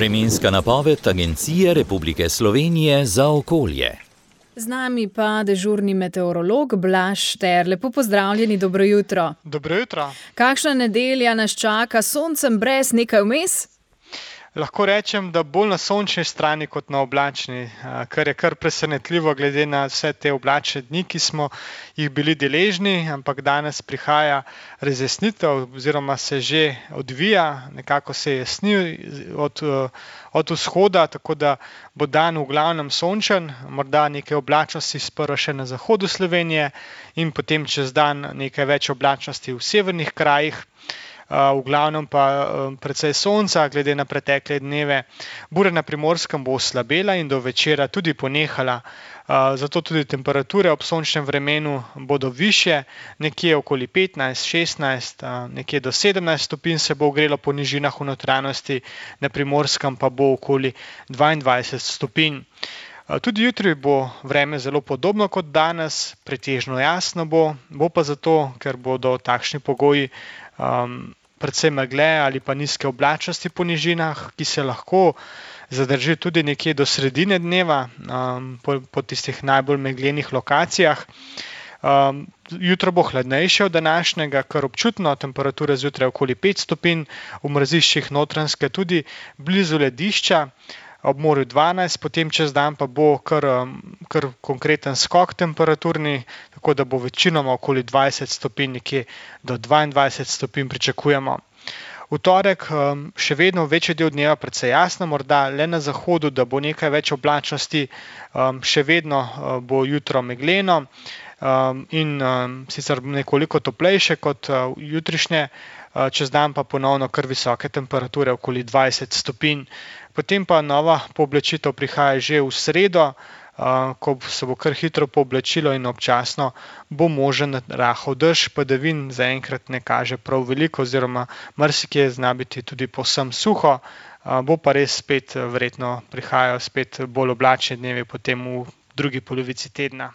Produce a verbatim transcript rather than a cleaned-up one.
Vremenska napoved Agencije Republike Slovenije za okolje. Z nami pa dežurni meteorolog Blaž Šter. Lepo pozdravljeni, dobro jutro. Dobro jutro. Kakšna nedelja nas čaka, s soncem brez, nekaj vmes? Lahko rečem, da bolj na sončni strani kot na oblačni, kar je kar presenetljivo glede na vse te oblačne dni, ki smo jih bili deležni, ampak danes prihaja razjasnitev oziroma se že odvija, nekako se jasni od, od vzhoda, tako da bo dan v glavnem sončen, morda nekaj oblačnosti sprva še na zahodu Slovenije in potem čez dan nekaj več oblačnosti v severnih krajih. V glavnem pa precej sonca, glede na pretekle dneve. Burja na Primorskem bo oslabela in do večera tudi ponehala, zato tudi temperature ob sončnem vremenu bodo višje, nekje okoli petnajst, šestnajst, nekje do sedemnajst stopinj se bo ogrelo po nižinah v notranjosti, na Primorskem pa bo okoli dvaindvajset stopinj. Tudi jutri bo vreme zelo podobno kot danes, pretežno jasno bo, bo pa zato, ker bodo takšni pogoji um, predvsem megle ali pa nizke oblačnosti po nižinah, ki se lahko zadrži tudi nekje do sredine dneva um, po, po tistih najbolj meglenih lokacijah. Um, jutro bo hladnejše od današnjega, kar občutno, temperature zjutraj okoli pet stopinj, v mraziščih Notranjske tudi blizu ledišča, ob morju dvanajst, potem čez dan pa bo kar, kar konkreten skok temperaturni, tako da bo večinoma okoli dvajset stopinj, nekje do dvaindvajset stopinj pričakujemo. V torek še vedno večji del dneva precej jasno, morda le na zahodu, da bo nekaj več oblačnosti, še vedno bo jutro megleno in sicer nekoliko toplejše kot jutrišnje, čez dan pa ponovno kar visoke temperature, okoli dvajset stopinj. Potem pa nova pooblačitev prihaja že v sredo, ko se bo kar hitro pooblačilo in občasno bo možen rahel dež, padavin zaenkrat ne kaže prav veliko oziroma marsikje zna biti tudi povsem suho, bo pa res spet verjetno prihajajo spet bolj oblačni dnevi potem v drugi polovici tedna.